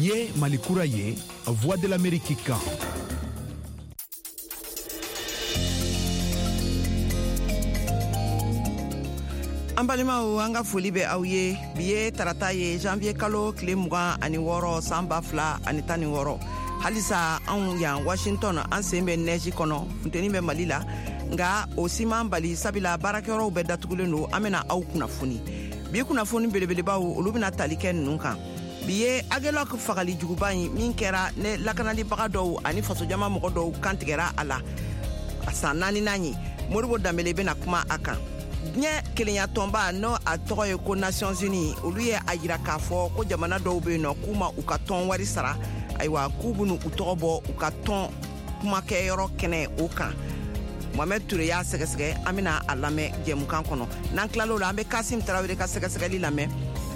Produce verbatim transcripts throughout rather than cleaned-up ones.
Ye Mali kura ye, Voix de l'Amérique kan. An balimaw, an ka foli bɛ aw ye. Bi ye tarata ye, janvier kalo tile mugan ani wɔɔrɔ, san ba fila ani tan ni wɔɔrɔ. Halisa anw yan Washington, an sen bɛ nɛji kɔnɔ, funteni bɛ Mali la, nka o si m'an bali, sabula baarakɛyɔrɔw bɛɛ datugulen don. An bɛna aw kunnafoni. Bi kunnafoni belebelebaw, olu bɛna tali kɛ ninnu kan. Bi ye Aguelhok fagali juguba in min kɛra ne lakanalibaga dɔw ani fasojama mɔgɔ dɔw kantigɛra a la, a san naaninan ye. Modibo Danbele bɛna kuma a kan. Diɲɛ kelenya tɔnba, n'o a tɔgɔ ye ko Nations Unies, olu ye a yira k'a fɔ ko jamana dɔw bɛ yen nɔ k'u ma u ka tɔn wari sara. Ayiwa, k'u bɛna u tɔgɔ bɔ u ka tɔn kumakɛyɔrɔ kɛnɛ o kan. Mohamed Touré y'a sɛgɛsɛgɛ, an bɛna a lamɛn jɛmukan kɔnɔ. N'an tilal'o la, an bɛ Kasim Tarawele ka sɛgɛsɛgɛli lamɛn.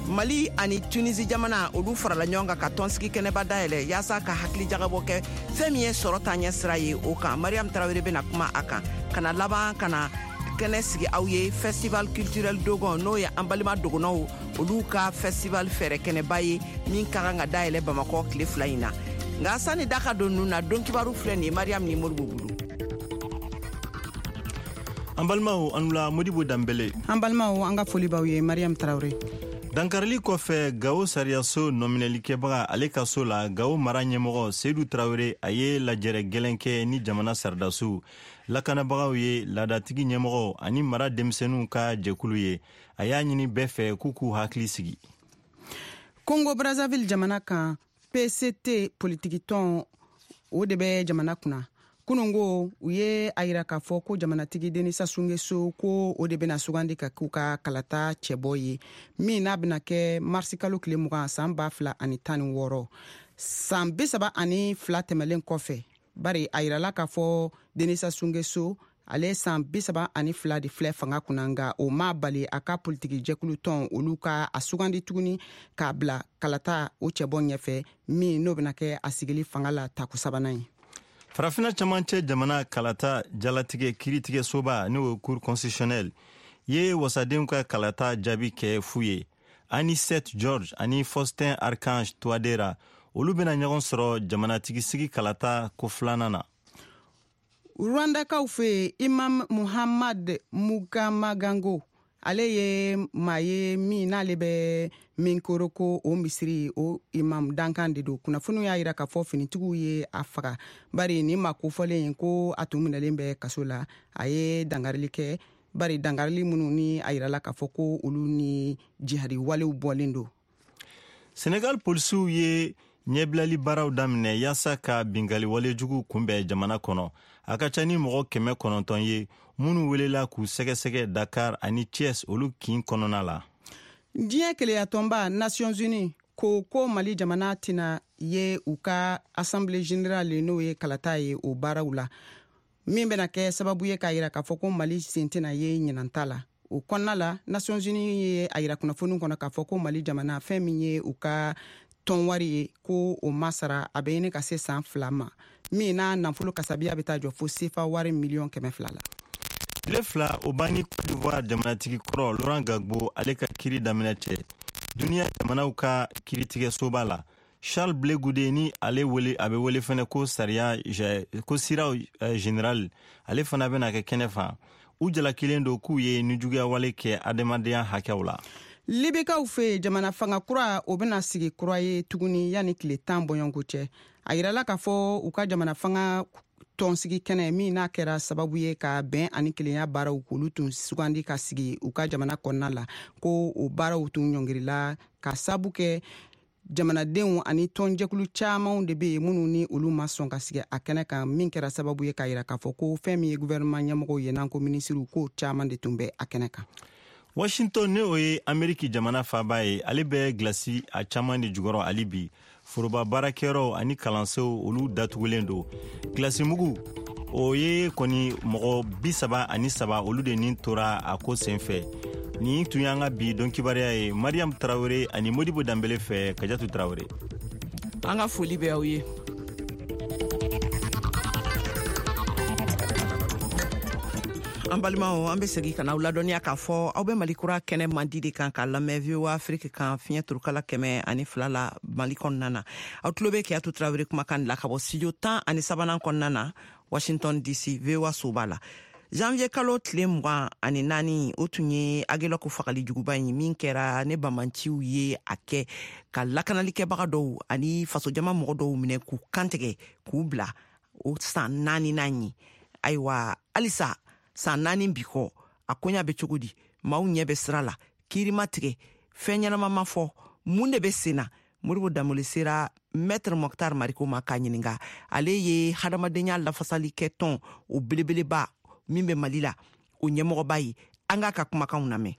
Mali ani Tunisi jamana, olu farala ɲɔgɔn kan ka tɔnsigi kɛnɛba dayɛlɛ yaasa ka hakili jagabɔ kɛ fɛn min ye sɔrɔ taaɲɛ sira ye o kan. Mariam Tarawele bɛna kuma a kan. Ka na laban ka na kɛnɛ sigi aw ye, Festival culturel Dogon, n'o ye an balima dogonɔw olu ka festival fɛɛrɛ kɛnɛba ye min ka kan ka dayɛlɛ Bamakɔ tile fila in na. Nka sani da ka don ninnu na, don kibaru filɛ nin ye Mariam ni Modibo bolo. An balimaw, an wula. Modibo Danbele. An balimaw, an ka foli b'aw ye. Mariam Tarawele. Dankarili kɔfɛ Gawo sariyaso nɔminɛlikɛbaga ale ka so la, Gawo mara ɲɛmɔgɔ Seyidu Tarawele, a ye lajɛrɛ gɛlɛn kɛ ni jamana saridasiw, lakanabagaw ye, laadatigi ɲɛmɔgɔw ani mara denmisɛnninw ka jɛkulu ye. A y'a ɲini bɛɛ fɛ k'u k'u hakili sigi. Congo Brazzaville jamana kan, P C T politikitɔn, o de bɛ jamana kunna. Kunungo, u ye a yira k'a fɔ ko jamanatigi Denis Sassou Nguesso, ko o de bɛna sugandi ka k'u ka kalata cɛbɔ ye, min n'a bɛna kɛ marisi kalo tile mugan, san ba fila ani tan ni wɔɔrɔ, san bi saba ani fila tɛmɛlen kɔfɛ. Bari a yirala k'a fɔ Denis Sassou Nguesso, ale san bi saba ani fila de filɛ fanga kunna, nka o ma bali a ka politiki jɛkulu tɔn olu ka a sugandi tuguni k'a bila kalata o cɛbɔ ɲɛfɛ, min n'o bɛna kɛ a sigili fanga la tako sabanan ye. Farafina camancɛ jamana kalata jalatigɛ kiiritigɛsoba, n'o ye Cour constitutionnelle ye, wasadenw ka kalata jaabi kɛ fu ye. Anicet George ani Faustin Archange Touadera, olu bɛna ɲɔgɔn sɔrɔ jamanatigisigi kalata ko filanan na. Rwandakaw fɛ yen, Imam Muhammad Mugamagango, ale ye maa ye min n'ale bɛ Mikoroko o misiri o imam dankan de don. Kunnafoniw y'a yira k'a fɔ finitigiw ye a faga, bari nin maa kofɔlen ko a tun minɛlen bɛ kaso la, a ye dangarili kɛ, bari dangarili minnu ni a yirala k'a fɔ ko olu ni jihadi walew bɔlen don. Senegal polisiw ye ɲɛbilali baaraw daminɛ yaasa ka bingali walejugu kunbɛn jamana kɔnɔ. A ka ca ni mɔgɔ kɛmɛ kɔnɔntɔn ye minnu welela k'u sɛgɛsɛgɛ Dakar ani Thiès, olu kin kɔnɔna la. Diɲɛ keleyatɔnba Nations Unies ko ko Mali jamana tɛna ye u ka Assemblée générale, n'o ye kalata ye, o baaraw la, min bɛna kɛ sababu ye k'a yira k'a fɔ ko Mali sen tɛna ye ɲinanta la. O kɔnɔna la, Nations Unies ye a yira kunnafoni kɔnɔ k'a fɔ ko Mali jamana, fɛn min ye u ka tɔn wari ye, ko o ma sara, a bɛ ɲini ka se san fila ma, min n'a nafolo kasabiya bɛ taa jɔ fo sefa wari miliyɔn kɛmɛ fila la. Tile fila o banni Cote d'Ivoire jamanatigi kɔrɔ Laurent Gbagbo, ale ka kiri daminɛ cɛ duniɲa jamanaw ka kiritigɛsoba la, Charles Blé Goudé, ni ale wele a bɛ wele fɛnɛ ko sariya ko siraw général, ale fana bɛna kɛ kɛnɛ fan. U jalakilen don k'u ye nijuguyawale kɛ adamadenya hakɛw la. Libikaw fɛ, jamana fanga kura o bɛna sigi kura ye tuguni yanni tile tan bɔɲɔgɔnko cɛ. A yirala k'a fɔ u ka jamana fanga tɔnsigi kɛnɛ min n'a kɛra sababu ye ka bɛn ani kelenya baaraw k'olu tun sugandi ka sigi u ka jamana kɔnɔna la, ko o baaraw tun ɲɔngirila ka sabu kɛ jamanadenw ani tɔnjɛkulu camanw de bɛ yen minnu ni olu ma sɔn ka sigi a kɛnɛ kan, min kɛra sababu ye k'a yira k'a fɔ ko fɛn min ye gouvernement ɲɛmɔgɔw ye, n'an ko minisiriw, k'o caman de tun bɛ a kɛnɛ kan. Washington, ni o ye Ameriki jamana faaba ye, ale bɛ gilasi a caman de jukɔrɔ hali bi. Foroba baarakɛyɔrɔw ani kalansow, olu datugulen don. Gilasimugu o ye kɔni mɔgɔ bi saba ani saba, olu de nin tora a ko senfɛ. Nin tun y'an ka bi don kibaruya ye, Mariam Tarawele ani Modibo Danbele fɛ, Kajatu Tarawele. An ka foli bɛ aw ye. An balimaw, an bɛ segin ka n'aw ladɔnniya k'a fɔ aw bɛ Mali Kura kɛnɛ mandi de kan k'a lamɛn V O A Afrique kan, fiɲɛ turukala kɛmɛ ani fila la Mali kɔnɔna na. Aw tulo bɛ Keyatu Tarawele kumakan la ka bɔ studio tan ani sabanan kɔnɔna na, Washington D C, V O A soba la. Janvier kalo tile mugan ani naani, o tun ye Agelɔk fagali juguba ye min kɛra ne bamanciw ye a kɛ ka lakanalikɛbaga dɔw ani fasojama mɔgɔ dɔw minɛ k'u kantigɛ k'u bila, o san naaninan ye. Ayiwa, halisa san naani bi kɔ, a koɲa bɛ cogo di? Maaw ɲɛ bɛ sira la, kiiri ma tigɛ, fɛn ɲɛnama ma fɔ. Mun de bɛ sen na? Modibo Danbele sera Maître Moctar Mariko ma k'a ɲininga. Ale ye hadamadenya lafasali kɛ tɔn o belebeleba min bɛ Mali la, o ɲɛmɔgɔba ye. An k'a ka kumakanw lamɛn.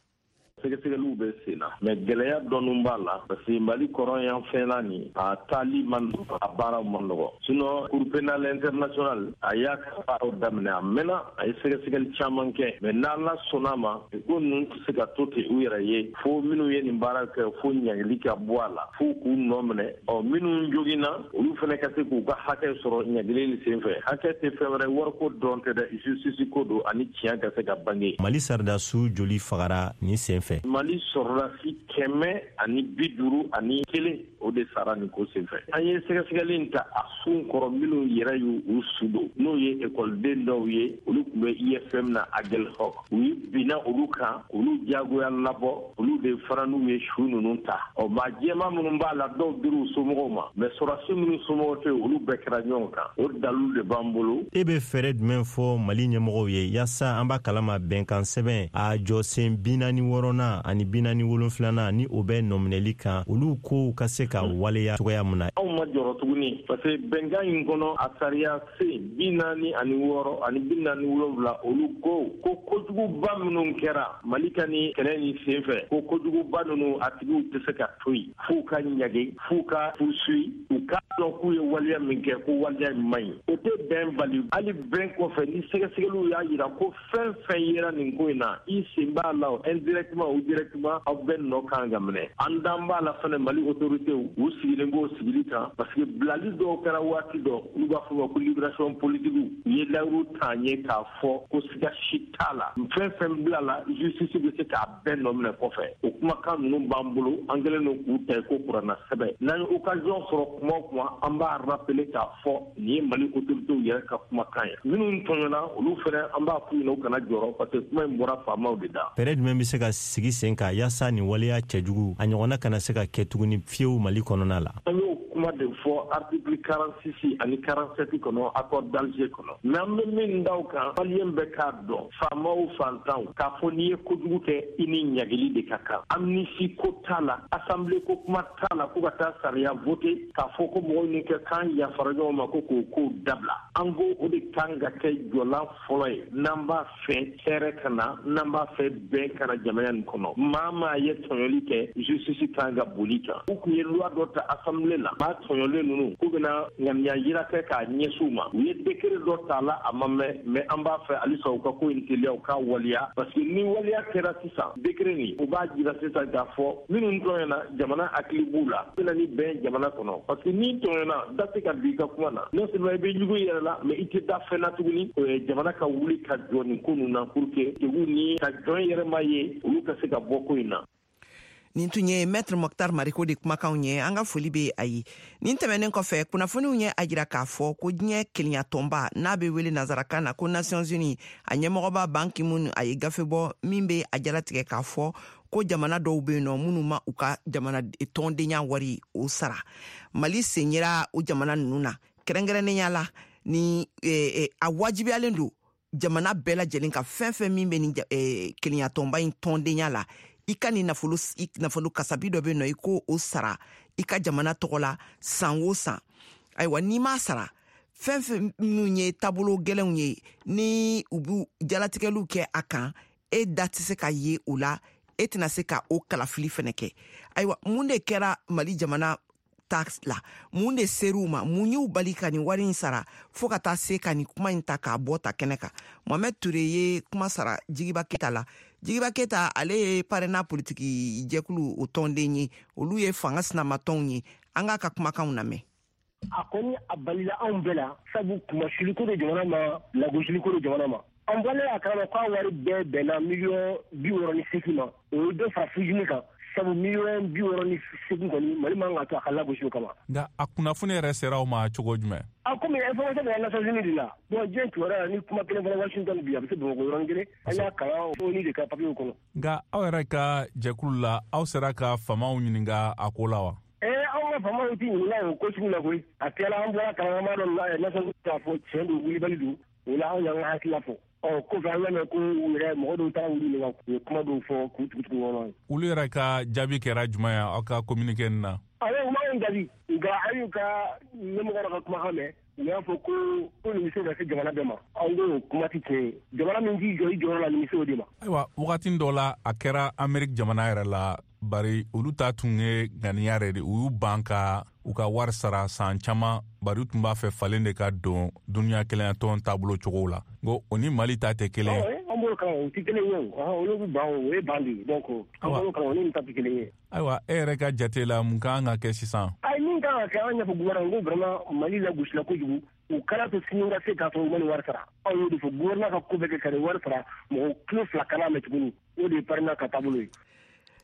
Sɛgɛsɛgɛliw bɛ sen na, mais gɛlɛya dɔɔni b'a la, parce que Mali kɔrɔn yan fɛnna nin, a taali man nɔgɔ, a baaraw man nɔgɔ. Sinon, Cour pénale internationale, a y'a ka baaraw daminɛ, a mɛnna, a ye sɛgɛsɛgɛli caman kɛ. Mais n'Ala sɔnna ma, ko ninnu tɛ se ka to ten u yɛrɛ ye, fo minnu ye nin baara kɛ, fo ɲangili ka bɔ a la, fo k'u nɔ minɛ. Ɔ, minnu joginna, olu fana ka se k'u ka hakɛ sɔrɔ ɲangili nin senfɛ. Hakɛ tɛ fɛn wɛrɛ, wariko dɔrɔn tɛ dɛ, justice ko don ani tiɲɛ ka se ka bange. Mali sɔrɔdasiw joli fagara nin sen fɛ? Mali sɔrɔdasi kɛmɛ ani bi duuru ani kelen, o de sara nin ko senfɛ. An ye sɛgɛsɛgɛli in ta a sun kɔrɔ, minnu yɛrɛ y'u u su don, n'o ye ekɔliden dɔw ye, olu tun bɛ I F M na Aguelhok. U ye binna olu kan, olu jagoya labɔ, olu de fana n'u ye su ninnu ta. Ɔ, maa jɛma minnu b'a la, dɔw dir'u somɔgɔw ma, mais sɔrɔdasi minnu somɔgɔw tɛ, olu bɛɛ kɛra ɲɔgɔn kan. O dalilu de b'an bolo. E bɛ fɛɛrɛ jumɛn fɔ Mali ɲɛmɔgɔw ye yaasa an b'a kalama bɛnkan sɛbɛn a jɔsen bi naani wɔɔrɔnan ani bi naani wolonfilanan ni o bɛ nɔminɛli kan, olu kow ka se ka waleya cogoya mun na? Anw ma jɔrɔ tuguni, parce que bɛnkan in kɔnɔ, a sariya sen bi naani ani wɔɔrɔ ani bi naani wolonwula, olu ko ko kojuguba minnu kɛra Mali ka ni kɛlɛ nin sen fɛ, ko kojuguba ninnu a tigiw tɛ se ka to yen f'u ka ɲage, f'u ka poursuit, u k'a dɔn k'u ye waleya min kɛ, ko waleya in man ɲi. O tɛ bɛn bali. Hali bɛn kɔfɛ, ni sɛgɛsɛgɛliw y'a yira ko fɛn fɛn yera nin ko in na, i sen b'a la indirectement ou directement, aw bɛɛ nɔ kan ka minɛ. An dan b'a la fɛnɛ, Mali autorités, u sigilen b'o sigili kan, parce que bilali dɔw kɛra waati dɔ, olu b'a fɔ ma ko libération politique, u ye layiru t'an ye k'a fɔ ko siga si t'a la, fɛn fɛn bila la, justice bɛ se k'a bɛɛ nɔ minɛ kɔfɛ. O kumakan ninnu b'an bolo, an kɛlen don k'u ta ko kuranna sɛbɛ. N'an ye occasion sɔrɔ kuma o kuma, an b'a rappeler k'a fɔ nin ye Mali autorités yɛrɛ ka kumakan ye. Minnu tɔɲɔna, olu fɛnɛ, an b'a f'u ɲɛna u kana jɔrɔ, parce que kuma in bɔra faamaw de da. Fɛɛrɛ jumɛn bɛ se ka sigi sen kan yaasa nin waleya cɛjugu a ɲɔgɔnna kana se ka kɛ tuguni fiyewu Mali kɔnɔna la? An y'o kuma de fɔ article quarante-six ani quarante-sept kɔnɔ, accord d'Alger kɔnɔ. Mais an bɛ min da o kan, maliyɛn bɛɛ k'a dɔn, faamaw, fantanw, k'a fɔ n'i ye kojugu kɛ, i ni ɲagili de ka kan. Amnistie ko t'a la, assemblée ko kuma t'a la, ko ka taa sariya voter k'a fɔ ko mɔgɔw ni kɛ kan yafara ɲɔgɔn ma ko k'o kow dabila. An ko o de kan ka kɛ jɔlan fɔlɔ ye n'an b'a fɛ hɛrɛ ka na, n'an b'a fɛ bɛn ka na jamana nin kɔnɔ. Maa maa ye tɔɲɔli kɛ, justice kan ka boli kan. U tun ye loi dɔ ta assemblée la, maa tɔɲɔlen ninnu k'u bɛna ŋaniya yira kɛ k'a ɲɛsin u ma. U ye décret dɔ ta la, a ma mɛn. Mais an b'a fɛ halisa u ka ko in teliya, u k'a waleya, parce que ni waleya kɛra sisan, décret nin, u b'a jira sisan k'a fɔ minnu tɔɲɔna, jamana hakili b'u la, bɛna ni bɛn jamana kɔnɔ. Parce que n'i tɔɲɔna, da tɛ ka don i ka kuma na. Non seulement i bɛ ɲugu i yɛrɛ la, mais i tɛ da fɛn na tuguni. Jamana ka wuli ka jɔ nin ko ninnu na pour que degun ni ka jɔn yɛrɛ ma ye, olu ka se ka bɔ ko in na. Nin tun ye Maître Moctar Mariko de kumakanw ye. An ka foli be a ye. Nin tɛmɛnen kɔfɛ, kunnafoniw ye a jira k'a fɔ ko diɲɛ kelenyatɔnba n'a be wele nansarakan na ko Nations Unies, a ɲɛmɔgɔba Ban Ki-moon, a ye gafe bɔ min be a jalatigɛ k'a fɔ ko jamana dɔw be yen nɔ minnu ma u ka jamana tɔndenya wari o sara. Mali sen yera o jamana nunu na kɛrɛnkɛrɛnnenya la. Ni eh, eh, a wajibiyalen don jamana bɛɛ lajɛlen ka, fɛn fɛn min bɛ nin eh, kelenyatɔnba in tɔndenya la, i ka nin nafolo nafolo kasabi dɔ bɛ nɔ, i ko o sara i ka jamana tɔgɔ la san o san. Ayiwa, n'i m'a sara, fɛn fɛn minnu ye taabolo gɛlɛnw ye ni u b'u jalatigɛliw kɛ a kan, e da tɛ se ka ye o la, e tɛna se ka o kalafili fɛnɛ kɛ. Ayiwa, mun de kɛra Mali jamana ta la? Mun de ser'u ma? Mun y'u bali ka nin wari in sara fɔɔ ka taa se ka nin kuma in ta k'a bɔ ta kɛnɛ kan? Mohamɛd Ture ye kuma sara Jigiba Keta la. Jigiba Keta, ale ye PARENA politiki jɛkulu o tɔnden ye, olu ye fanga sinamatɔnw ye. An k'a ka kumakanw lamɛn. A kɔni a balila anw bɛɛ la, sabu kumasiliko do jamana ma, lagosiliko do jamana ma. An bɔlen a kalama k'a wari bɛɛ bɛnna miliyɔn bi wɔɔrɔ ni seegin ma, o ye dɔ fara fujini kan, sabu miliyɔn bi wɔɔrɔ ni seegin kɔni Mali man ka to a ka lagosi o kama. Nka a kunnafoni yɛrɛ sera aw ma cogo jumɛn? A komi information bɛ Nations Unies de la, bon diɲɛ kibaruya la ni kuma kelen fɔra Washington bi a bɛ se Bamakɔ yɔrɔnin kelen, an y'a kalan ONU de ka papiyew kɔnɔ. Nka aw yɛrɛ ka jɛkulu la, aw sera ka faamaw ɲininka a ko la wa? Ee anw ka faamaw ti ɲininka o ko sugu la koyi. A tilala an bɔra kalan dɔ Nations Unies k'a fɔ tiɲɛ don, wulibali don, o la anw y'an ka hakilila fɔ. Ɔ kɔfɛ an y'a mɛn ko u yɛrɛ mɔgɔ dɔw taara wuli ɲininka, u ye kuma dɔw fɔ k'u tugu-tugu ɲɔgɔn na. Olu yɛrɛ ka jaabi kɛra jumɛn ye aw ka communiqué nin na? Awɔ, u m'anw jaabi, nka an y'u ka ɲɛmɔgɔ dɔ ka kumakan mɛn, u y'a fɔ ko ko nin bɛ se ka se jamana bɛɛ ma. Anw ko kuma tɛ tiɲɛ ye, jamana min k'i jɔ i jɔyɔrɔ la nin bɛ se o de ma. Ayiwa, wagati dɔ la a kɛra Amérique jamana yɛrɛ la, bari olu ta tun ye ŋaniya yɛrɛ de, u y'u ban ka u ka wari sara san caman, bari u tun b'a fɛ falen de ka don duniya kelenyatɔn taabolo cogo la. N ko o ni Mali ta tɛ kelen ye. An b'o kalama, o tɛ kelen ye o, olu bɛ ban o ye ban de ye, donc an b'o kalama o ni nin ta tɛ kelen ye. Ayiwa, e yɛrɛ ka jate la mun kan ka kɛ sisan? Ayi, min kan ka kɛ, an ɲɛfɔ gouvernement ko vraiment Mali lagosila kojugu, u kana to sini ka se k'a sɔrɔ u ma nin wari sara. Anw y'o de fɔ, gouvernement ka ko bɛɛ kɛ ka nin wari sara, mɔgɔ kilo fila kana mɛn tuguni, o de ye parrainage ka taabolo ye.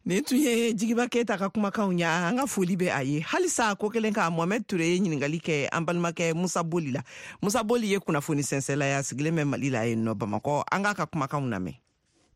Nin tun ye Jigiba Keyita ka kumakanw ye, an ka foli bɛ a ye. Halisa ko kelen ka Mohamed Ture ye ɲininkali kɛ an balimakɛ Musa Boli la. Musa Boli ye kunnafoni sɛnsɛnla ye, a sigilen bɛ Mali la yen nɔ Bamakɔ. An k'a ka kumakanw lamɛn.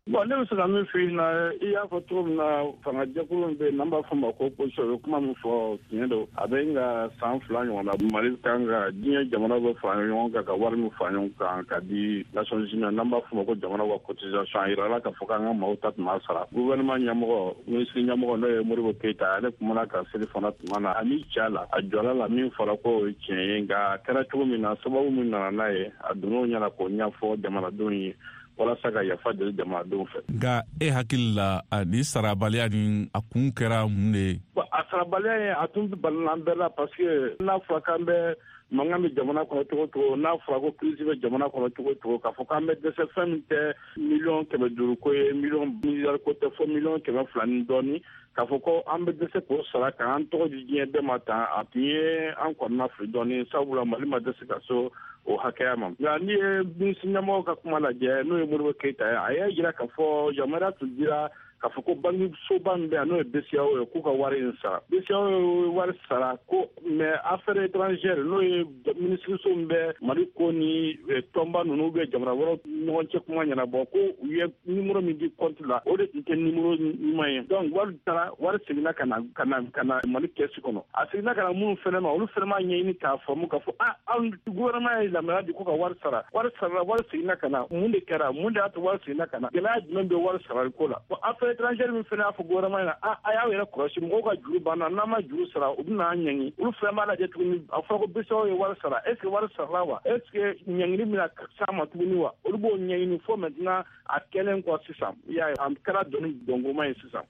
Bon, ne bɛ se ka min f'i ɲɛna, i y'a fɔ cogo min na, fangajɛkulu min bɛ yen n'an b'a fɔ ma ko opposition, u ye kuma min fɔ tiɲɛ don. A bɛ nka san fila ɲɔgɔn na, Mali kan ka diɲɛ jamanaw bɛ fara ɲɔgɔn kan ka wari min fara ɲɔgɔn kan ka di Nations Unies, n'an b'a fɔ ma ko jamanaw ka cotisation, a yirala k'a fɔ k'an ka maaw ta tun b'a sara. Gouvernement ɲɛmɔgɔ, minisiri ɲɛmɔgɔ n'o ye Modibo Keyita, ale kumana ka seli fana tuma na, a ni ca la, a jɔla la min fɔra k'o ye tiɲɛ ye, nka a kɛra cogo min na, sababu min nana n'a ye, a donn'o ɲɛna k'o ɲɛfɔ jamanadenw ye walasa ka yafa deli jamanadenw fɛ. Nka e hakili la, ni sarabaliya ni a kun kɛra mun de ye? A sarabaliya ye a tun balila an bɛɛ la, parce que n'a fɔra k'an bɛ mankan bɛ jamana kɔnɔ cogo cogo, n'a fɔra ko crise bɛ jamana kɔnɔ cogo cogo, k'a fɔ k'an bɛ dɛsɛ fɛn min tɛ miliyɔn kɛmɛ duuru ko ye, miliyɔn miliyari ko tɛ, fo miliyɔn kɛmɛ fila ni dɔɔni, k'a fɔ ko an bɛ dɛsɛ k'o sara k'an tɔgɔ di diɲɛ bɛɛ ma tan, a tun ye an kɔnɔna fili dɔɔni, sabula Mali ma dɛsɛ ka so o hakɛya ma. Nka n'i ye minisiri ɲɛmɔgɔ ka kuma lajɛ, n'o ye Modibo Keyita ye, a y'a jira k'a fɔ yamaruya tun dira k'a fɔ ko banki soba min bɛ yan n'o ye B C A O ye, k'u ka wari in sara. B C A O ye wari sara ko, mais affaires étrangères n'o ye minisiriso min bɛ Mali ko ni tɔnba ninnu bɛ jamana wɛrɛw ɲɔgɔn cɛ kuma ɲɛnabɔ, ko u ye numéro min di compte la, o de tun tɛ numéro ɲuman ye. Donc wari taara, wari seginna ka na ka na ka na Mali kɛsi kɔnɔ. A seginna ka na minnu fɛnɛ ma, olu fɛnɛ m'a ɲɛɲini k'a faamu k'a fɔ ah, anw gouvernement ye yamaruya di ko ka wari sara, wari sarala, wari seginna ka na, mun de kɛra, mun de y'a to wari seginna ka na, gɛlɛya jumɛn bɛ wari sarali ko la. Bon, affaires étrangères min fɛnɛ y'a fɔ gouvernement ɲɛna, a a y'aw yɛrɛ kɔlɔsi, mɔgɔw ka juru banna, n'an ma juru sara u bɛna an ɲangi. Olu fɛnɛ b'a lajɛ tuguni, a fɔra ko B C A O ye wari sara, est ce que wari sarala wa, est ce que ɲangili bɛna s'a ma tuguni wa, olu b'o ɲɛɲini fo maintenant a kɛlen kɔ sisan, i y'a ye a kɛra dɔnni dɔnkoma ye sisan.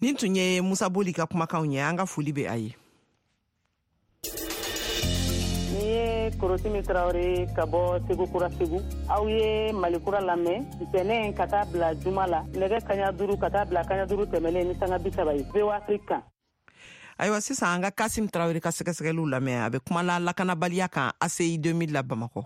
Nin tun ye Musa Boli ka kumakanw ye, an ka foli bɛ a ye. Ni ye Korotimi Tarawele ka bɔ Segu Kura Segu, aw ye Mali Kura lamɛn ntɛnɛn ka taa bila juma la nɛgɛ kaɲa duuru ka taa bila kaɲa duuru tɛmɛnen ni sanga bi saba ye V O A Afrique kan. Ayiwa, sisan an ka Kasim Tarawele ka sɛgɛsɛgɛliw lamɛn, a bɛ kuma la lakanabaliya kan A C I deux mille la Bamakɔ.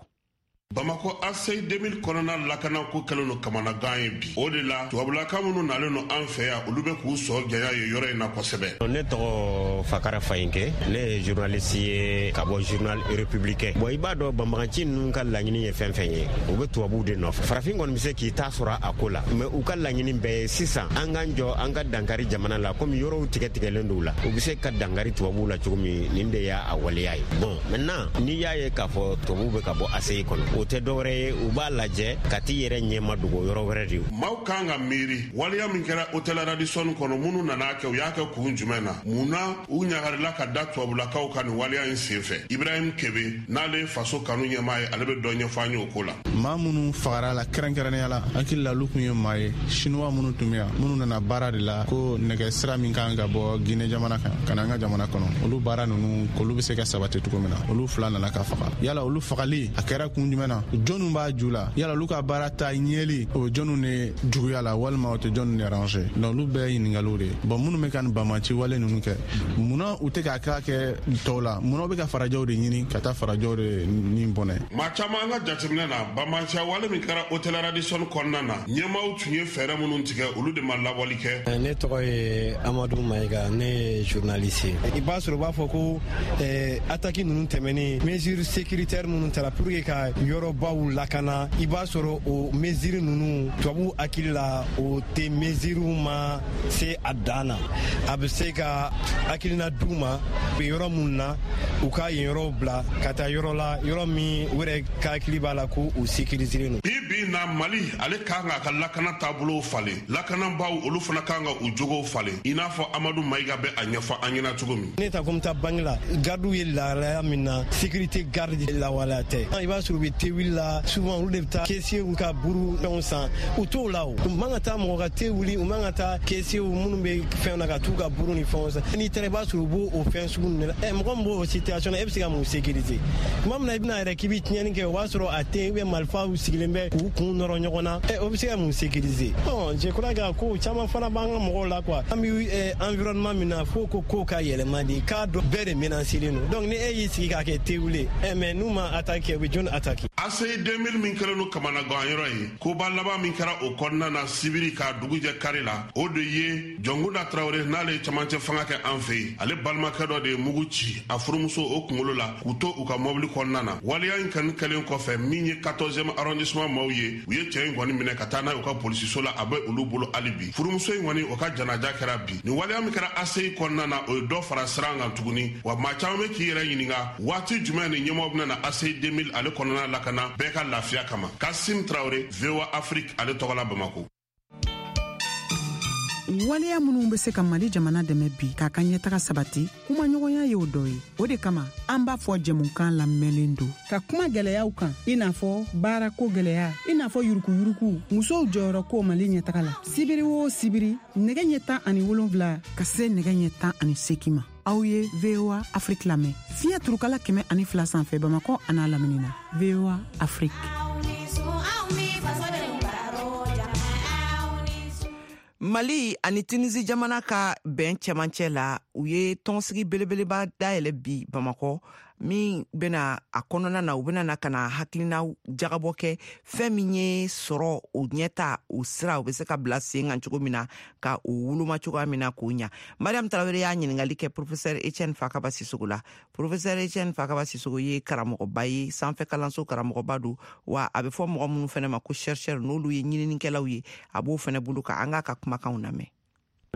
Bamakɔ A C I deux mille kɔnɔna lakanako kɛlen don kamanagan ye bi. O de la tubabulaka minnu nalen don an fɛ yan, olu bɛ k'u sɔn janya ye yɔrɔ in na kosɛbɛ. Ne tɔgɔ Fakara Fayinke, ne ye journaliste ye ka bɔ journal républicain. Bon, i b'a dɔn banbagaci ninnu ka laɲini ye fɛn fɛn ye, u bɛ tubabuw de nɔfɛ. Farafin kɔni bɛ se k'i ta sɔrɔ a ko la, mais u ka laɲini bɛɛ ye sisan an k'an jɔ an ka dankari jamana la, komi yɔrɔw tigɛ tigɛlen don u la, u bɛ se ka dankari tubabuw la cogo min, nin de y'a waleya ye. Bon, maintenant n'i y'a ye k'a fɔ tubabuw bɛ ka bɔ A C I kɔnɔ, o tɛ dɔwɛrɛ ye, u b'a lajɛ ka t'i yɛrɛ ɲɛma dogo yɔrɔ wɛrɛ de. Maaw kan ka miiri waleya min kɛra hôtel Radisson kɔnɔ, minnu nana kɛ, u y'a kɛ kun jumɛn na, mun na u ɲagarila ka da tubabulakaw kan nin waleya in senfɛ. Ibrahim Kebe, n'ale ye faso kanu ɲɛmaa ye, ale bɛ dɔ ɲɛfɔ an ye o ko la. Maa minnu fagara la kɛrɛnkɛrɛnnenya la, hakili la olu kun ye maa ye, Chinois minnu tun bɛ yan, minnu nana baara de la ko nɛgɛ sira min kan ka bɔ Guinée jamana kan ka na an ka jamana kɔnɔ, olu baara ninnu k'olu bɛ se ka sabati cogo min na, olu fila nana ka faga. Yala olu fagali a kɛra kun jumɛn jumɛn na, jɔnnu b'a ju la, yala olu ka baara ta ɲɛli o bɛ jɔnnu de juguya la walima o tɛ jɔnnu de arranger. Donc olu bɛɛ ye ɲininkaliw de ye. Bon, minnu bɛ ka nin banbanci wale ninnu kɛ, munna u tɛ k'a k'a kɛ tɔw la? Munna u bɛ ka farajɛw de ɲini ka taa farajɛw de ni bɔnɛ? Maa caman an ka jateminɛ na, banbanciya wale min kɛra hôtel Radisson kɔnɔna na, ɲɛmaaw tun ye fɛɛrɛ minnu tigɛ, olu de ma labɔli kɛ. Ne tɔgɔ ye Amadu Mayiga, ne ye journaliste ye. I b'a sɔrɔ u b'a fɔ ko attaque ninnu tɛmɛnen, mesure sécuritaire minnu tara pour que ka yɔrɔbaw lakana, i b'a sɔrɔ o mesure ninnu, tubabu hakili la, o tɛ mesure ma se a dan na. A bɛ se ka hakilina d'u ma yɔrɔ minnu na, u ka yen yɔrɔw bila ka taa yɔrɔ la, yɔrɔ min u yɛrɛ ka hakili b'a la ko u sécuriser don. Bi bi na, Mali ale kan k'a ka lakana taabolow falen, lakanabaaw olu fana kan ka u jogow falen, i n'a fɔ Amadu Mayiga bɛ a ɲɛfɔ an ɲɛna cogo min. Ne ta ko n bɛ taa banque la, gardiw ye lahalaya min na, sécurité garde lawaleya tɛ. I b'a sɔrɔ u bɛ te wuli la, souvent olu de bɛ taa caissier ka buru fɛnw san, u t'o la o. U man ka taa mɔgɔ ka te wuli, u man ka taa caissier minnu bɛ fɛnw na ka t'u ka buru ni fɛnw san. N'i taara, i b'a sɔrɔ u b'o o fɛn sugu ninnu de la. Ɛ, mɔgɔ min b'o situation na, e bɛ se ka mun sécuriser? Tuma min na i bɛna yɛrɛ k'i bɛ tiɲɛni kɛ, o b'a sɔrɔ a tɛ yen, ou bien marifaw sigilen bɛ k'u kun nɔrɔ ɲɔgɔn na, ɛ, o bɛ se ka mun sécuriser? Bon, je crois que ko caman fana b'an ka mɔgɔw la quoi. An bɛ environnement min na, fo ko kow ka yɛlɛma de, k'a dɔn bɛɛ de menacelen don. Donc ni e y'i sigi k'a kɛ te wuli, ɛ, mais n'u ma attaque kɛ, u bɛ jɔnni attaque? A C I deux mille min kɛlen don kamanagan yɔrɔ ye, koba laban min kɛra o kɔnɔna na sibiri k'a dugu jɛ kari la, o de ye Jɔnkunda Tarawele, n'ale ye camancɛ fanga kɛ an fɛ yen, ale balimakɛ dɔ de ye mugu ci a furumuso o kunkolo la k'u to u ka mɔbili kɔnɔna na. Waleya in kɔni kɛlen kɔfɛ, min ye quatorzième arrondissement maaw ye, u ye cɛ in kɔni minɛ ka taa n'a ye u ka polisiso la, a bɛ olu bolo hali bi. Furumuso in kɔni, o ka janaja kɛra bi. Nin waleya min kɛra A C I kɔnɔna na, o ye dɔ fara siran kan tuguni. Wa maa caman bɛ k'i yɛrɛ ɲininka waati jumɛn ni ɲɛmɔgɔ bɛna na A C I deux mille ale kɔnɔna lakana bɛɛ ka lafiya kama. Kasim Tarawele, V O A Afrique ale tɔgɔ la, Bamako. Waleya minnu bɛ se ka Mali jamana dɛmɛ bi k'a ka ɲɛtaga sabati, kumaɲɔgɔnya y'o dɔ ye. O de kama an b'a fɔ jɛmukan lamɛnlen don ka kuma gwɛlɛyaw kan, i n'a fɔ baarako gwɛlɛya, i n'a fɔ yurukuyuruku, musow jɔyɔrɔ ko Mali ɲɛtaga la. Sibiri o sibiri, nɛgɛ ɲɛ tan ani wolonfila ka se nɛgɛ ɲɛ tan ani seki ma, aw ye V O A Afrique lamɛn fiɲɛ turukala kɛmɛ ani fila sanfɛ, Bamakɔ an'a lamini na. V O A Afrique. Mali ani Tunisi jamana ka bɛn cɛmancɛ la, u ye tɔnsigi belebeleba dayɛlɛ bi Bamakɔ, min bena a kɔnɔna na, u bena na ka na hakilina jagabɔ kɛ fɛn min ye sɔrɔ o ɲɛta, o sira u be se ka bila sen kan cogo min na, ka o woloma cogoya min na k'o ɲa. Mariam Tarawele y'a ɲiningali kɛ professeur Etienne Fakaba Sisogo la. Professeur Etienne Fakaba Sisogo ye karamɔgɔba ye, sanfɛ kalanso karamɔgɔba don, wa a bɛ fɔ mɔgɔ minnu fɛnɛ ma ko chercheur, n'olu ye ɲininikɛlaw ye, a b'o fɛnɛ bolo ka an k'a ka kumakanw lamɛn.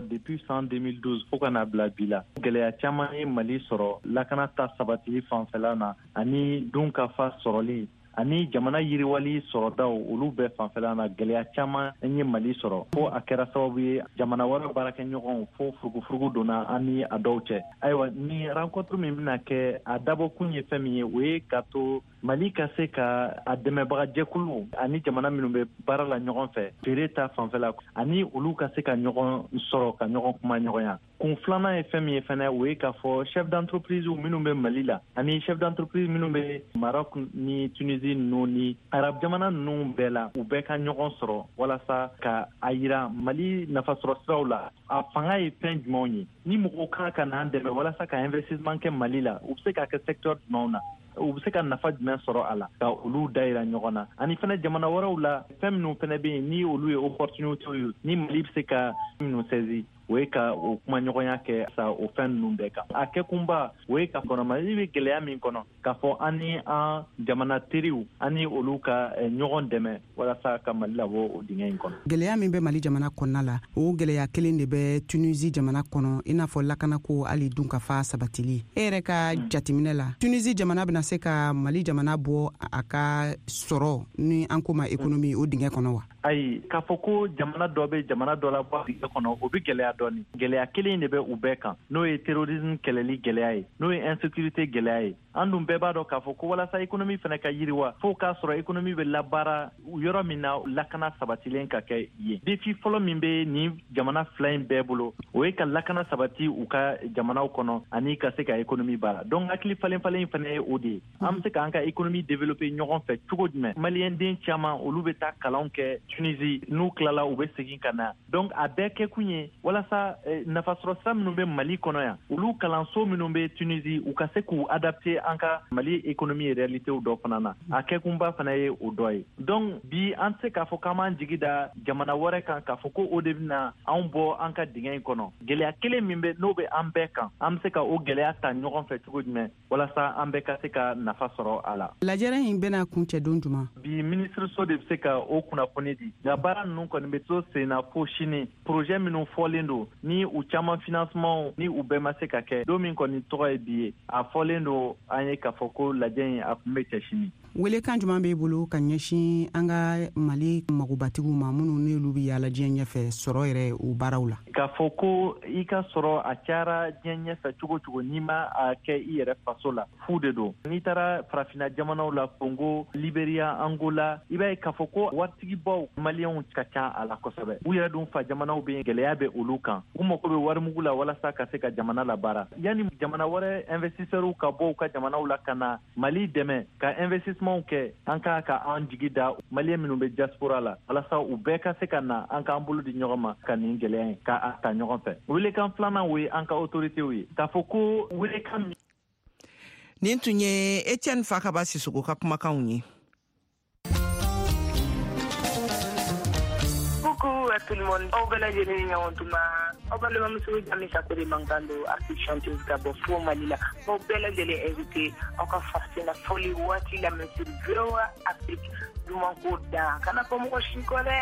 Depuis san deux mille douze fo ka na bila bi la, gɛlɛya caman ye Mali sɔrɔ lakana ta sabatili fanfɛla na, ani dun ka fa sɔrɔli, ani jamana yiriwali sɔrɔdaw, olu bɛɛ fanfɛla na, gɛlɛya caman ye Mali sɔrɔ, fo a kɛra sababu ye jamana wɛrɛ baarakɛɲɔgɔnw, fo furugufurugu donna an ni a dɔw cɛ. Ayiwa, ni rencontre min bɛna kɛ, a dabɔkun ye fɛn min ye, o ye ka to Mali ka se ka a dɛmɛbagajɛkulu ani jamana minnu bɛ baara la ɲɔgɔn fɛ feere ta fanfɛla, ani olu ka se ka ɲɔgɔn sɔrɔ ka ɲɔgɔn kuma ɲɔgɔnya. Kun filanan ye fɛn min ye fɛnɛ, o ye k'a fɔ chef d'entreprise minnu bɛ Mali la ani chef d'entreprise minnu bɛ Maroc ni Tunisie ninnu ni Arab jamana ninnu bɛɛ la, u bɛɛ ka ɲɔgɔn sɔrɔ walasa ka a yira Mali nafasɔrɔ siraw la, a fanga ye fɛn jumɛnw ye, ni mɔgɔw kan ka n'an dɛmɛ walasa ka investissement kɛ Mali la, u bɛ se k'a kɛ secteur jumɛnw na, u bɛ se ka nafa jumɛn sɔrɔ a la, ka olu dayira ɲɔgɔn na. Ani fɛnɛ jamana wɛrɛw la, fɛn minnu fɛnɛ bɛ yen ni olu ye opportunité ye, ni Mali bɛ se ka minnu saisi, o ye ka o kumaɲɔgɔnya kɛ sa o fɛn ninnu bɛɛ kan. A kɛkunba, o ye ka kɔnɔ Mali bɛ gɛlɛya min kɔnɔ, k'a fɔ an ni an jamana teriw, an ni olu ka ɲɔgɔn dɛmɛ walasa ka Mali labɔ o dingɛ in kɔnɔ. Gɛlɛya min bɛ Mali jamana kɔnɔna la, o gɛlɛya kelen de bɛ Tunisi jamana kɔnɔ, i n'a fɔ lakanako, hali dunkafa sabatili. E yɛrɛ ka jateminɛ la, Tunisi jamana bɛna se ka Mali jamana bɔ a ka sɔrɔ ni an ko ma économie o dingɛ kɔnɔ wa? Ayi, k'a fɔ ko jamana dɔ bɛ jamana dɔ la bɔ dingɛ kɔnɔ, o bɛ gɛlɛya dɔɔni. Gɛlɛya kelen de bɛ u bɛɛ kan, n'o ye terrorisme kɛlɛli gɛlɛya ye, n'o ye insécurité gɛlɛya ye. An dun bɛɛ b'a dɔn k'a fɔ ko walasa économie fana ka yiriwa, fo k'a sɔrɔ économie bɛ labaara yɔrɔ min na, lakana sabatilen ka kɛ yen. Défi fɔlɔ min bɛ nin jamana fila in bɛɛ bolo, o ye ka lakana sabati u ka jamanaw kɔnɔ ani ka se ka économie baara. Donc hakili falen falen in fana ye o de ye. An bɛ se k'an ka économie développer ɲɔgɔn fɛ cogo jumɛn? Maliyɛn den caman, olu bɛ taa kalanw kɛ Tunisie, n'u tilala u bɛ segin ka na. Donc a bɛɛ kɛkun ye walasa nafasɔrɔ sira minnu bɛ Mali kɔnɔ yan, olu kalanso minnu bɛ Tunisie, u ka se k'u adapter an ka Mali économie réalité dɔ fana na. A kɛkunba fana ye o dɔ ye. Donc bi an tɛ se k'a fɔ k'an b'an jigi da jamana wɛrɛ kan k'a fɔ ko o de bɛna anw bɔ an ka dingɛ in kɔnɔ. Gɛlɛya kelen min bɛ n'o bɛ an bɛɛ kan, an bɛ se ka o gɛlɛya ta ɲɔgɔn fɛ cogo jumɛn walasa an bɛɛ ka se ka nafa sɔrɔ a la. Lajɛrɛ in bɛna kuncɛ don jumɛn? Bi minisiriso de bɛ se ka o kunnafoni di, nka baara ninnu kɔni bɛ to sen na fo sini. Projet minnu fɔlen don ni u caman financement ni u bɛɛ ma se ka kɛ, don min kɔni tɔgɔ ye bi ye, a fɔlen don an ye k'a fɔ ko lajɛ in a kun bɛ cɛ sini. Welekan jumɛn b'e bolo ka ɲɛsin an ka Mali magobatigiw ma minnu n'olu bɛ yaala diɲɛ ɲɛfɛ sɔrɔ yɛrɛ o baaraw la? K'a fɔ ko i ka sɔrɔ a cayara diɲɛ ɲɛfɛ cogo cogo, n'i ma a kɛ i yɛrɛ faso la, fu de don. N'i taara farafinna jamanaw la, Congo, Liberia, Angola, i b'a ye k'a fɔ ko waritigibaw maliyɛnw ka ca a la kosɛbɛ. U yɛrɛ dun fa jamanaw bɛ yen, gɛlɛya bɛ olu kan, u mako bɛ warimugu la walasa ka se ka jamana labaara. Yanni jamana wɛrɛ investisseurs ka bɔ u ka jamanaw la ka na Mali dɛmɛ ka investissement kɛ, an ka ka an jigi da maliyɛn minnu bɛ diaspora la walasa u bɛɛ ka se ka na, an k'an bolo di ɲɔgɔn ma ka nin gɛlɛya in ka a ta ɲɔgɔn fɛ. Welekan filanan o ye an ka autorités ye k'a fɔ ko welekan. Nin tun ye Etienne Fakaba Sisoko ka kumakanw ye. Coucou à tout le monde. Aw bɛɛ lajɛlen ni ɲɔgɔn tuma. Aw balimamuso Jamisa Kore mankan don, artiste chanteuse ka bɔ fo Mali la. Aw bɛɛ lajɛlen invité aw ka farafina fɔli waati lamɛn sur V O A Afrique. Duman ko da kana fɔ mɔgɔ si kɔ dɛ.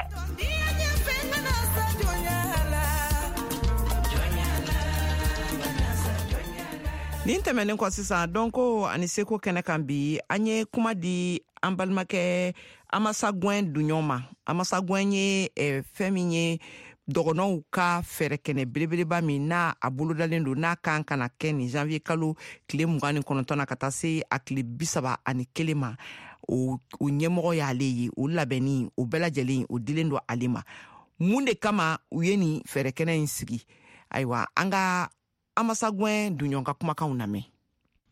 Nin tɛmɛnen kɔ sisan, dɔnko ani seko kɛnɛ kan bi, an ye kuma di an balimakɛ Amasa Gɛn Dunɲɔn ma. Amasa Gɛn ye eh, fɛn min ye dɔgɔnɔw ka fɛɛrɛkɛnɛ belebeleba min n'a a bolodalen don, n'a kan ka na kɛ nin janvier kalo tile mugan ni kɔnɔntɔn na ka taa se a tile bi saba ani kelen ma, o, o ɲɛmɔgɔ y'ale ye. O labɛnni o bɛɛ lajɛlen o dilen don ale ma. Mun de kama u ye nin fɛɛrɛkɛnɛ in sigi? Ayiwa, an ka Amasa Gɛn Dunɲɔn ka kumakanw lamɛn.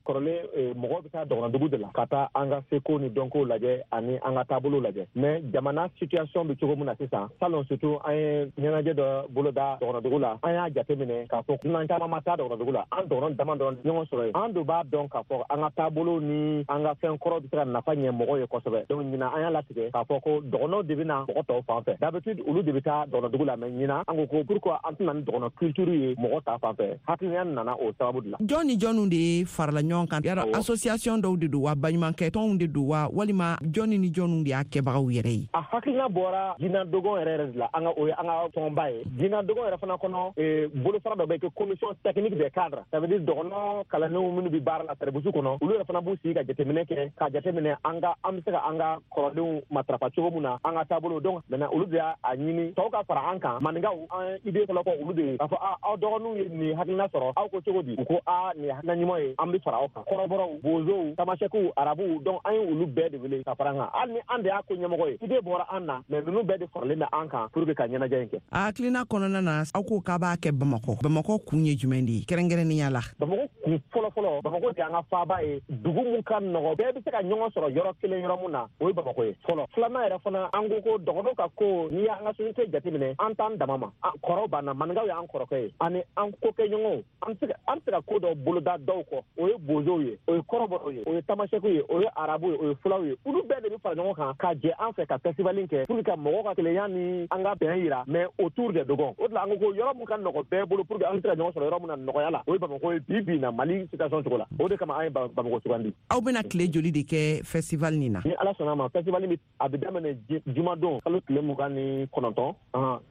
Kɔrɔlen mɔgɔ bɛ taa dɔgɔnɔdugu de la ka taa an ka seko ni dɔnko lajɛ ani an ka taabolo lajɛ, mais jamana situation bɛ cogo min na sisan, salon surtout an ye ɲɛnajɛ dɔ boloda dɔgɔnɔdugu la, an y'a jateminɛ k'a fɔ dunan caman ma taa dɔgɔnɔdugu la, an dɔgɔnɔ dama dɔrɔn ɲɔgɔn sɔrɔ yen. An dun b'a dɔn k'a fɔ an ka taabolo ni an ka fɛn kɔrɔ bɛ se ka nafa ɲɛ mɔgɔw ye kosɛbɛ. Donc ɲinan an y'a latigɛ k'a fɔ ko dɔgɔnɔw de bɛ na mɔgɔ tɔw fan fɛ. D'habitude olu de bɛ taa dɔgɔnɔdugu la, mais ɲinan an ko ko pourquoi an tɛna ni dɔgɔnɔ culture ye mɔgɔ ta fan fɛ. Hakilina nana o sababu de la. Jɔn ni jɔnw de ye farala ɲɔgɔn kan? Yala association dɔw de don wa, baɲumankɛ tɔnw de don wa, walima jɔnni ni jɔnw de y'a kɛbagaw yɛrɛ ye? A hakilina bɔra Jina Dogon yɛrɛ yɛrɛ de la. An ka o ye an ka tɔnba ye. Jina Dogon yɛrɛ fana kɔnɔ, bolofara dɔ bɛ kɛ commission technique des cadres, ça veut dire dɔgɔnɔ kalandenw minnu bɛ baara la service kɔnɔ, olu yɛrɛ fana b'u sigi ka jateminɛ kɛ, ka jateminɛ an ka an bɛ se ka an ka kɔrɔdenw matarafa cogo min na, an ka taabolo. Donc maintenant olu de y'a ɲini tɔw ka fara an kan. Maninkaw an idée fɔlɔ kɔ olu de ye k'a fɔ aw dɔgɔninw ye nin hakilina sɔrɔ, aw ko cogo di? U ko a nin ye hakilina ɲuman ye, an bɛ fara aw kan. Kɔrɔbɔrɔw, bozow, tamasɛkiw, arabuw, donc an ye olu bɛɛ de wele ka fara an kan. Hali ni an de y'a ko ɲɛmɔgɔ ye, idée bɔra an na, mais ninnu bɛɛ de faralen bɛ an kan pour que ka ɲɛnajɛ in kɛ. A hakilina kɔnɔna na, aw ko k'a b'a kɛ Bamakɔ. Bamakɔ kun ye jumɛn de ye kɛrɛnkɛrɛnnenya la? Bamakɔ kun fɔlɔ fɔlɔ, Bamakɔ de y'an ka faaba ye, dugu mun ka nɔgɔ, bɛɛ bɛ se ka ɲɔgɔn sɔrɔ yɔrɔ kelen yɔrɔ mun na, o ye Bamakɔ ye fɔlɔ. Filanan yɛrɛ fana, an ko ko dɔgɔnɔw ka ko, n'i y'an ka société jateminɛ, an t'an dama ma. Kɔrɔw b'an na, maninkaw y'an kɔrɔkɛ ye, ani an kokɛɲɔgɔnw, an bɛ se ka an bɛ se ka ko dɔ boloda dɔw kɔ, o ye bozow ye, o ye kɔrɔbɔrɔw ye, o ye tamasɛkiw ye, o ye arabuw ye, o ye fulaw ye. Olu bɛɛ de bɛ fara ɲɔgɔn kan ka jɛ an fɛ ka festival in kɛ pour que ka mɔgɔw ka kelenya ni an ka bɛn yira, mais autour des Dogons. O de la an ko ko yɔrɔ mun ka nɔgɔ bɛɛ bolo pour que an bɛ se ka ɲɔgɔn sɔrɔ yɔrɔ mun na nɔgɔya la, o ye Bamakɔ ye bi bi in na Mali situation cogo la. O de kama an ye Bamakɔ sugandi. Aw bɛna tile joli de kɛ festival nin na? Ni Ala sɔnna ma, festival bɛ a bɛ daminɛ jumadon kalo tile mugan ni kɔnɔntɔn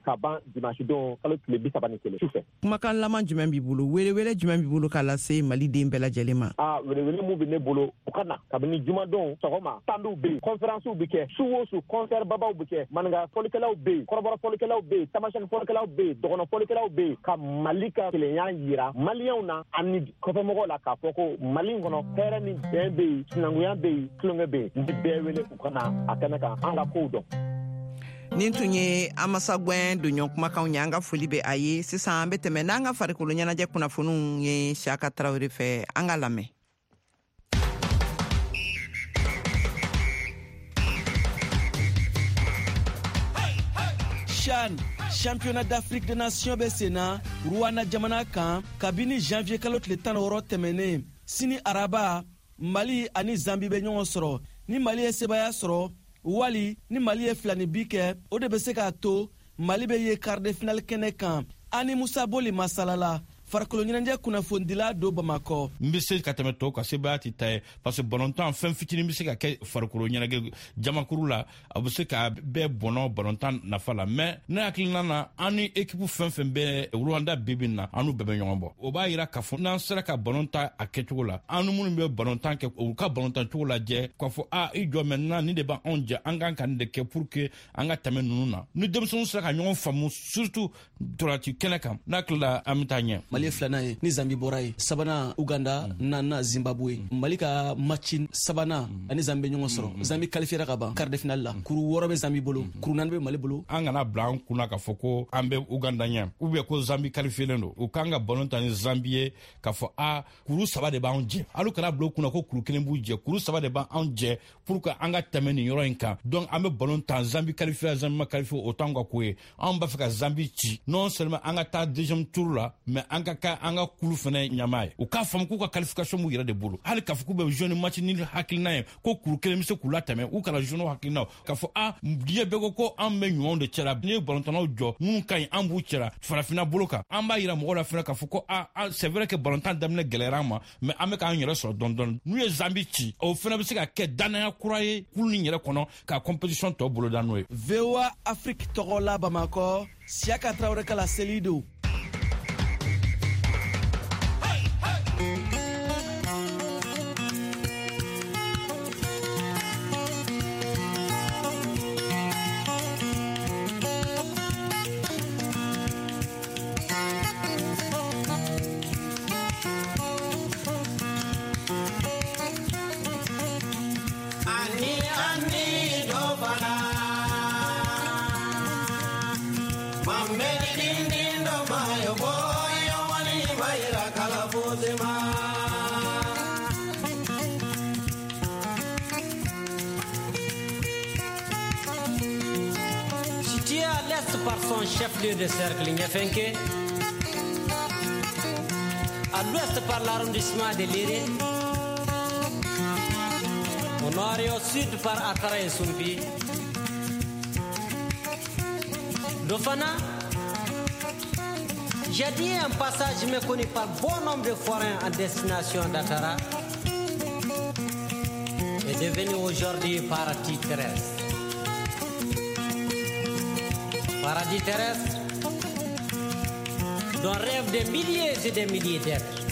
ka ban dimanche don kalo tile bi saba ni kelen su fɛ. Kumakan laban jumɛn b'i bolo, welewele jumɛn b'i bolo k'a lase Maliden bɛɛ lajɛlen ma? Aa, welewele mun bɛ ne bolo, u ka na kabini jumadon sɔgɔma, tandiw bɛ yen, conférencew bɛ kɛ su o su, concert babaw bɛ kɛ, maninka fɔlikɛlaw bɛ yen, kɔrɔbɔrɔ fɔlikɛlaw bɛ yen, tamasɛki fɔlikɛlaw bɛ yen, dɔgɔnɔ fɔlikɛlaw bɛ yen, ka Mali ka kelenya yira maliyɛnw na ani kɔfɛ kɔfɛmɔgɔw la k'a fɔ ko Mali in kɔnɔ hɛrɛ ni bɛn bɛ yen, sinankunya bɛ yen, tulonkɛ bɛ yen. N bɛ bɛɛ wele u ka na a kɛnɛ kan, an ka kow dɔn. Nin tun ye Amasagwɛn donɲɔgɔn kumakanw ye, an ka foli bɛ a ye. Sisan an bɛ tɛmɛ n'an ka farikolo ɲɛnajɛ kunnafoniw ye Siyaka Tarawele fɛ, an ka lamɛn. CHAN, championnat d'Afrique des Nations bɛ senna Rwanda jamana kan kabini janvier kalo tile tan ni wɔɔrɔ tɛmɛnen. Sini araba, Mali ani Zambi bɛ ɲɔgɔn sɔrɔ. Ni Mali ye sebaaya sɔrɔ wali ni Mali ye fila ni bi kɛ, o de bɛ se k'a to Mali bɛ ye quart de finale kɛnɛ kan. Ani Musa Boli masalala, farikolo ɲɛnajɛ kunnafonidila don Bamakɔ. N bɛ se ka tɛmɛ tɔw kan, sebaaya tɛ ta ye, parce que balontan fɛn fitinin bɛ se ka kɛ farikolo ɲɛnajɛ jamakuru la, a bɛ se ka bɛɛ bɔnɔ balontan nafa la. Mais ne hakilina na, an ni équipe fɛn fɛn bɛ Rwanda bi bi in na, an n'u bɛɛ bɛ ɲɔgɔn bɔ. O b'a yira k'a fɔ n'an sera ka balontan a kɛcogo la, an ni minnu bɛ balontan kɛ, u ka balontan cogo lajɛ k'a fɔ a i jɔ maintenant nin de b'anw jɛ, an kan ka nin de kɛ pour que an ka tɛmɛ ninnu na. Ni denmisɛnninw sera ka ɲɔgɔn faamu surtout ntolanci kɛnɛ kan, n'a tilala an bɛ taa ɲɛ. Mali ye filanan ye ni Zambi bɔra ye, sabanan Uganda, naaninan Zimbabwe. Mali ka match sabanan ani Zambi bɛ ɲɔgɔn sɔrɔ. Zambi qualifiera ka ban quart de finale la. Kuru wɔɔrɔ bɛ Zambi bolo, kuru naani bɛ Mali bolo. An kana bila an kunna k'a fɔ ko an bɛ Uganda ɲɛ ou bien ko Zambi qualifielen don. U kan ka ballon ta ni Zambi ye k'a fɔ a kuru saba de b'anw jɛ. Hali kana bila u kunna ko kuru kelen b'u jɛ, kuru saba de b'anw jɛ pour que an ka tɛmɛ nin yɔrɔ in kan. Donc an bɛ ballon ta, Zambi qualifiera, Zambi ma qualifié, o t'anw ka ko ye. Anw b'a fɛ ka Zambi ci non seulement an ka taa deuxième tour la, mais an ka ka an ka kulu fana ɲama ye. U k'a faamu k'u ka qualification b'u yɛrɛ de bolo. Hali k'a fɔ k'u bɛ jouer ni match ni hakilina ye ko kuru kelen bɛ se k'u latɛmɛ, u kana jouer n'o hakilina k'a fɔ a diɲɛ bɛɛ ko ko an bɛ ɲumanw de cɛla. N'i ye balontannaw jɔ minnu ka ɲi, an b'u cɛla farafinna bolo kan. An b'a yira mɔgɔw la fana k'a fɔ ko a c'est vrai que balontan daminɛ gɛlɛyara an ma, mais an bɛ k'an yɛrɛ sɔrɔ dɔɔni dɔɔni. N'u ye Zambi ci, o fana bɛ se ka kɛ danaya kura ye kulu nin yɛrɛ kɔnɔ ka compétition tɔ boloda n'o ye. V O A Afrique tɔgɔ la Bamakɔ, Siyaka Tarawele ka laseli don. Situé à l'est par son chef-lieu de cercle Niafenke, à l'ouest par l'arrondissement de Léré, au nord et au sud par Atara et Soumpi. Dofana, j'ai dit un passage méconnu par bon nombre de forains en destination d'Atara, est devenu aujourd'hui paradis terrestre. Paradis terrestre dont rêvent des milliers et des milliers d'êtres.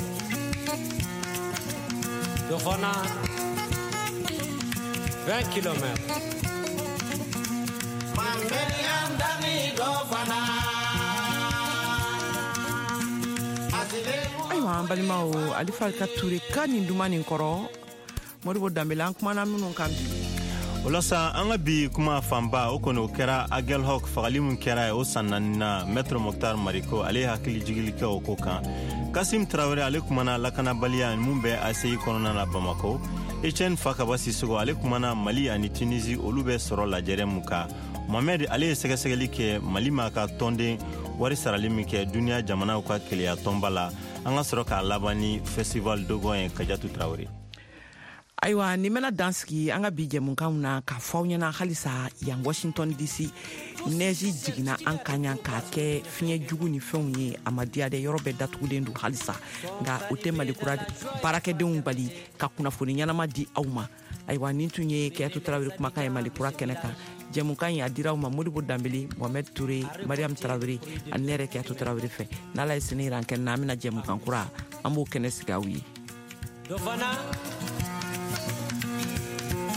Dofana, vingt kilomètres. Ayiwa an balimaw, Alifa ka Ture ka nin duman nin kɔrɔ, Modibo Danbele, an kumana minnu kan bi. O la sa, an ka bi kuma fanba o kɔni o kɛra Aguelhok fagali min kɛra ye o san naani na. Maître Mokhtar Mariko ale ye hakili jigili kɛ o ko kan. Kasim Tarawele ale kumana lakanabaliya mun bɛ A C I kɔnɔna na Bamakɔ. Etienne Fakaba Sissogo ale kumana Mali ani Tunisie olu bɛ sɔrɔ lajɛrɛ mun kan. Mohamed ale ye sɛgɛsɛgɛli kɛ Mali ma ka tɔnden wari sarali min kɛ duniya jamanaw ka keleya tɔnba la. An ka sɔrɔ k'a laban ni festival dogon ye Kajatu Tarawele. Ayiwa, nin bɛna dan sigi an ka bi jɛmukanw na k'a fɔ aw ɲɛna halisa yan Washington D C nɛji jiginna an kan yan k'a kɛ fiɲɛ jugu ni fɛnw ye, a ma diya dɛ, yɔrɔ bɛɛ datugulen don halisa, nka o tɛ Malikura baarakɛdenw bali ka kunnafoni ɲɛnama di aw ma. Ayiwa, nin tun ye Kɛyatu Tarawele kumakan ye Malikura kɛnɛ kan. Jɛmukan in a dira aw ma Modibo Danbele, Mohamed Touré, Mariam Tarawele ani ne yɛrɛ Kɛyatu Tarawele fɛ. N'Ala ye sini yira an kɛnɛ na, an bɛna jɛmukan kura, an b'o kɛnɛ sigi aw ye. Dofana,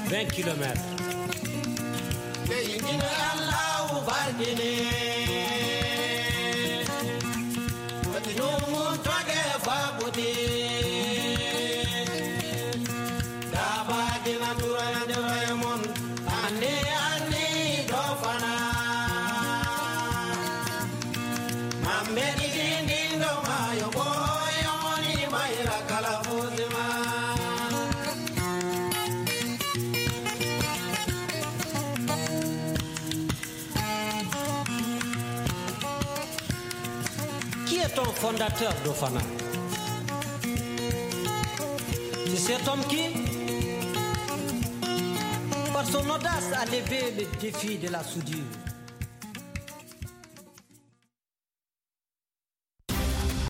vingt kilomètres. Qui est ton fondateur, Dofana? C'est cet homme qui, par son audace, a levé le défi de la soudure.